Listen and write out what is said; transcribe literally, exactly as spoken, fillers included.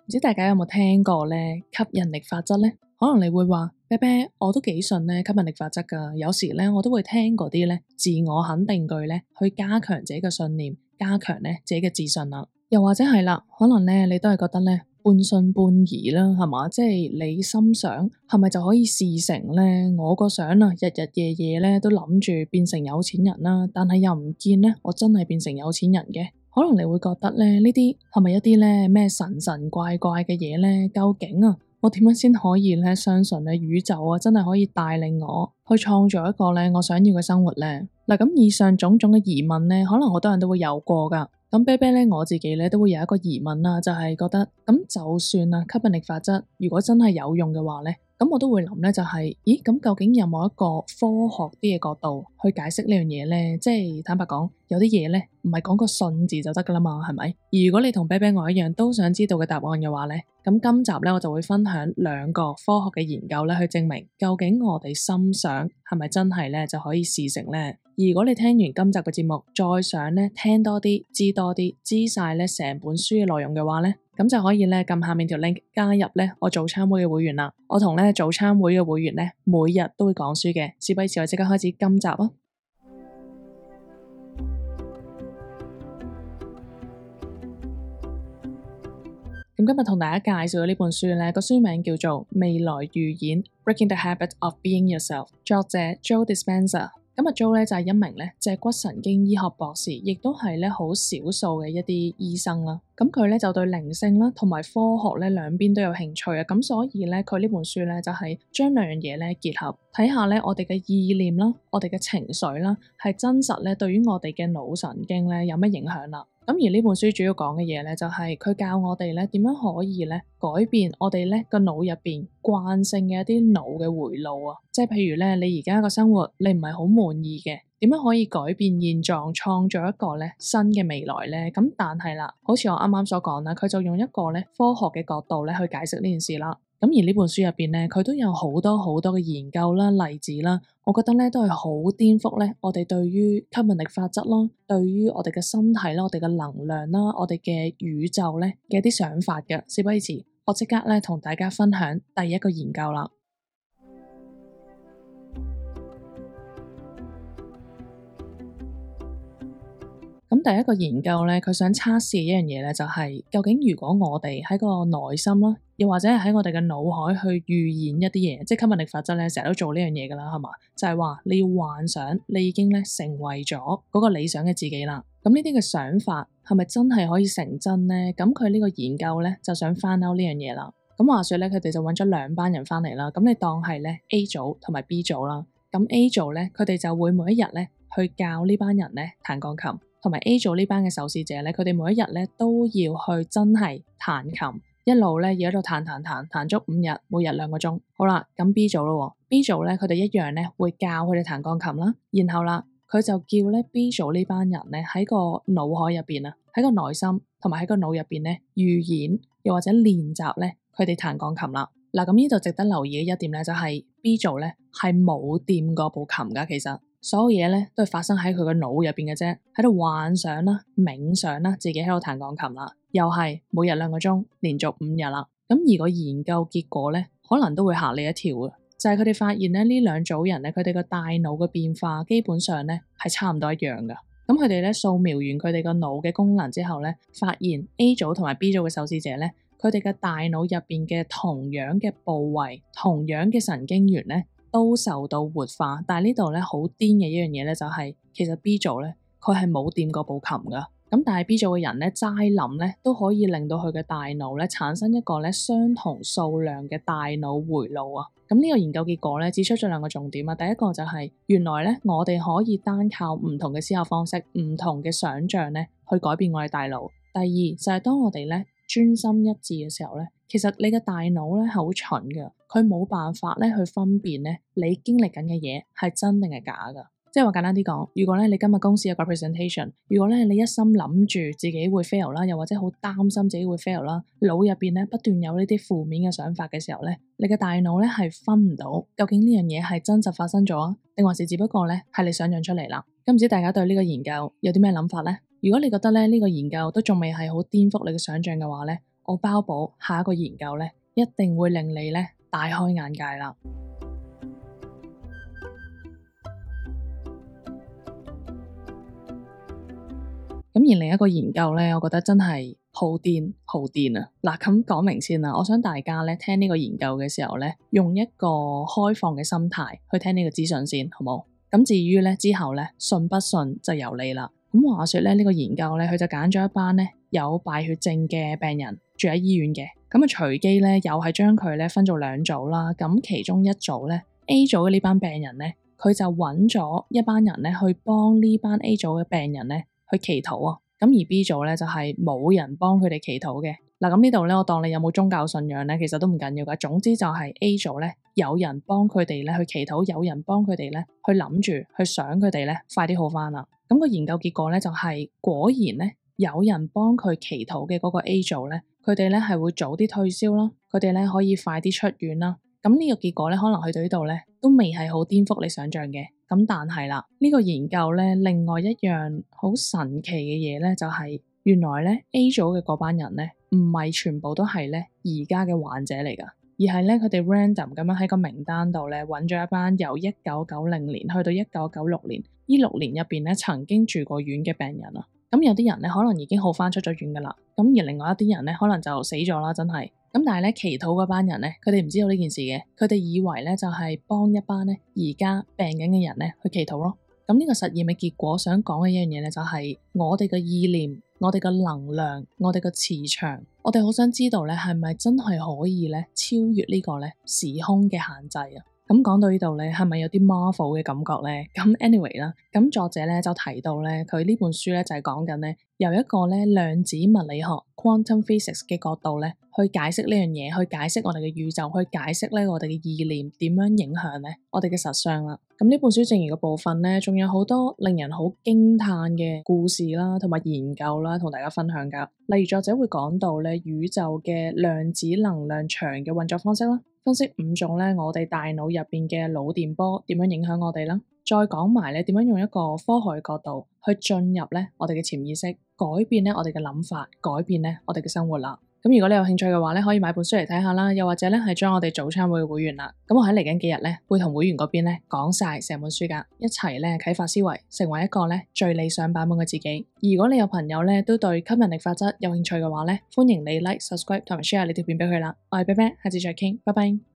唔知大家有冇聽過咧吸引力法則咧？可能你會話，啤啤，我都幾信咧吸引力法則噶。有時咧我都會聽嗰啲咧自我肯定句咧，去加強自己嘅信念，加強咧自己嘅自信啦。又或者係啦，可能咧你都係覺得咧半信半疑啦，係嘛？即係你心想係咪就可以事成咧？我個想啊，日日夜夜咧都諗住變成有錢人啦，但係又唔見咧我真係變成有錢人嘅。可能你會覺得咧呢啲係咪一啲咧咩神神怪怪嘅嘢咧？究竟啊，我點樣先可以咧相信咧宇宙啊真係可以帶領我去創造一個咧我想要嘅生活咧？嗱，咁以上種種嘅疑問咧，可能好多人都會有過噶。咁啤啤咧我自己咧都會有一個疑問啦，就係覺得咁就算啊吸引力法則如果真係有用嘅話咧，咁我都會諗咧就係，咦咁究竟有冇一個科學啲嘅角度去解釋呢樣嘢咧？即係坦白講，有啲嘢咧唔係講個信字就得噶啦嘛，係咪？而如果你同啤啤我一樣都想知道嘅答案嘅話咧，咁今集咧我就會分享兩個科學嘅研究咧，去證明究竟我哋心想係咪真係咧就可以事成咧。而如果你聽完今集嘅節目，再想咧聽多啲、知多啲、知晒咧成本書嘅內容嘅話咧，咁就可以咧撳下面條 link 加入咧我早餐會嘅會員啦。我同咧早餐會嘅會員咧每日都會講書嘅。事不宜遲，我即刻開始今集啊！咁今日同大家介紹嘅呢本書咧，個書名叫做《未來預言 Breaking the Habit of Being Yourself》，作者 Joe Dispenza。咁啊 Joe 咧就係一名咧脊骨神經醫學博士，亦都係咧好少數嘅一啲醫生啦。咁佢咧就對靈性啦同埋科學咧兩邊都有興趣啊。咁所以咧佢呢本書咧就係將兩樣嘢咧結合，睇下咧我哋嘅意念啦，我哋嘅情緒啦，係真實咧對於我哋嘅腦神經咧有咩影響啦。咁而呢本書主要講嘅嘢咧，就係佢教我哋咧點樣可以咧改變我哋咧個腦入邊慣性嘅一啲腦嘅回路啊，即係譬如咧你而家個生活你唔係好滿意嘅，點樣可以改變現狀，創造一個咧新嘅未來咧？咁但係啦，好似我啱啱所講啦，佢就用一個咧科學嘅角度咧去解釋呢件事啦。咁而呢本書入邊咧，佢都有好多好多嘅研究啦、例子啦，我覺得咧都係好顛覆咧我哋對於吸引力法則啦、對於我哋嘅身體啦、我哋嘅能量啦、我哋嘅宇宙咧嘅一啲想法嘅。事不宜遲，我即刻咧同大家分享第一個研究啦。咁第一個研究咧，佢想測試一樣嘢咧，就係究竟如果我哋喺個內心啦，又或者係喺我哋嘅腦海去預演一啲嘢，即係吸引力法則咧，成日都做呢樣嘢噶啦，係嘛？就係話你要幻想你已經咧成為咗嗰個理想嘅自己啦。咁呢啲嘅想法係咪真係可以成真咧？咁佢呢個研究咧就想翻out呢樣嘢啦。咁話說咧，佢哋就揾咗兩班人翻嚟啦。咁你當係咧 A 組同埋 B 組啦。咁 A 組咧，佢哋就會每一日咧去教呢班人咧彈鋼琴。同埋 A 組呢班嘅受試者咧，佢哋每一日咧都要去真係彈琴，一路咧要喺度彈彈彈彈足五日，每日兩個鐘。好啦，咁 B 組咯，B 組咧佢哋一樣咧會教佢哋彈鋼琴啦，然後啦佢就叫咧 B 組呢班人咧喺個腦海入邊啊，喺個內心同埋喺個腦入邊咧預演又或者練習咧佢哋彈鋼琴啦。嗱，咁呢度值得留意嘅一點咧就係 B 組咧係冇掂過部琴噶，其實。所有嘢咧都係發生喺佢個腦入邊嘅啫，喺度幻想啦、冥想啦，自己喺度彈鋼琴啦，又係每日兩個鐘，連續五日啦。咁而個研究結果咧，可能都會嚇你一跳嘅，就係佢哋發現咧呢兩組人咧，佢哋個大腦嘅變化基本上咧係差唔多一樣噶。咁佢哋咧掃描完佢哋個腦嘅功能之後咧，發現 A 組同埋 B 組嘅受試者咧，佢哋嘅大腦入邊嘅同樣嘅部位、同樣嘅神經元咧，都受到活化，但係呢度咧好癲嘅一樣嘢咧就係、是，其實 B 組咧佢係冇掂過部琴噶，咁但係 B 組嘅人咧齋諗咧都可以令到佢嘅大腦咧產生一個咧相同數量嘅大腦回路啊。咁呢個研究結果咧指出咗兩個重點啊，第一個就係、是、原來咧我哋可以單靠唔同嘅思考方式、唔同嘅想像咧去改變我哋大腦。第二就係、是、當我哋咧專心一致嘅時候咧，其實你嘅大腦咧係好蠢嘅，佢冇辦法咧去分辨咧你經歷緊嘅嘢係真定係假噶。即係話簡單啲講，如果咧你今日公司有個 presentation， 如果咧你一心諗住自己會 fail 啦，又或者好擔心自己會 fail 啦，腦入邊咧不斷有呢啲負面嘅想法嘅時候咧，你嘅大腦咧係分唔到究竟呢樣嘢係真實發生咗啊，定還是只不過咧係你想象出嚟啦。咁唔知大家對呢個研究有啲咩諗法咧？如果你覺得咧呢個研究都仲未係好顛覆你嘅想象嘅話咧，我包保下一個研究咧一定會令你咧大開眼界啦。咁而另一個研究咧，我覺得真係好癲好癲啊！嗱，咁講明先啦，我想大家咧聽呢個研究嘅時候咧，用一個開放嘅心態去聽呢個資訊先，好冇？咁至於咧之後咧信不信就由你啦。咁話說咧呢個研究咧，佢就揀咗一班咧有敗血症嘅病人住喺醫院嘅，咁啊隨機咧又係將佢咧分做兩組啦。咁其中一組咧 A 組嘅呢班病人咧，佢就揾咗一班人咧去幫呢班 A 組嘅病人咧去祈禱啊。咁而 B 組咧就係冇人幫佢哋祈禱嘅。嗱，咁呢度咧我當你有冇宗教信仰咧，其實都唔緊要噶。總之就係 A 組咧有人幫佢哋咧去祈禱，有人幫佢哋咧去諗住去想佢哋咧快啲好翻啦。咁個研究結果咧就係果然咧有人幫佢祈禱嘅嗰個 A 組咧，佢哋咧係會早啲退燒啦，佢哋咧可以快啲出院啦。咁呢個結果咧可能去到呢度咧都未係好顛覆你想象嘅。咁但係啦，呢個研究咧另外一樣好神奇嘅嘢咧就係原來咧 A 組嘅嗰班人咧唔係全部都係咧而家嘅患者嚟噶，而係咧佢哋 random 咁樣喺個名單度咧揾咗一班由一九九零年去到一九九六年呢六年入邊咧曾經住過院嘅病人啊。咁有啲人咧可能已經好翻出咗院噶啦，咁而另外一啲人咧可能就死咗啦，真係。咁但係咧祈禱嗰班人咧，佢哋唔知道呢件事嘅，佢哋以為咧就係幫一班咧而家病緊嘅人咧去祈禱咯。咁呢個實驗嘅結果想講嘅一樣嘢咧，就係我哋嘅意念、我哋嘅能量、我哋嘅磁場，我哋好想知道咧係咪真係可以咧超越呢個咧時空嘅限制啊？咁講到呢度咧，係咪有啲 Marvel 嘅感覺咧？咁 anyway 啦，咁作者咧就提到咧，佢呢本書咧就係講緊咧，由一個咧量子物理學 （quantum physics） 嘅角度咧，去解釋呢樣嘢，去解釋我哋嘅宇宙，去解釋咧我哋嘅意念點樣影響咧我哋嘅實相啦。咁呢本書剩餘嘅部分咧，仲有好多令人好驚嘆嘅故事啦，同埋研究啦，同大家分享噶。例如作者會講到咧宇宙嘅量子能量場嘅運作方式啦。分析五種咧，我哋大腦入邊嘅腦電波點樣影響我哋啦，再講埋咧點樣用一個科學嘅角度去進入咧我哋嘅潛意識，改變咧我哋嘅諗法，改變咧我哋嘅生活啦。咁如果你有興趣嘅話咧，可以買本書嚟睇下啦，又或者咧係將我哋早餐會嘅會員啦。咁我喺嚟緊幾日咧會同會員嗰邊咧講晒成本書噶，一齊咧啟發思維，成為一個咧最理想版本嘅自己。如果你有朋友咧都對吸引力法則有興趣嘅話咧，歡迎你 like、subscribe 同埋 share 呢條片俾佢啦。我係啤啤，下次再傾，拜拜。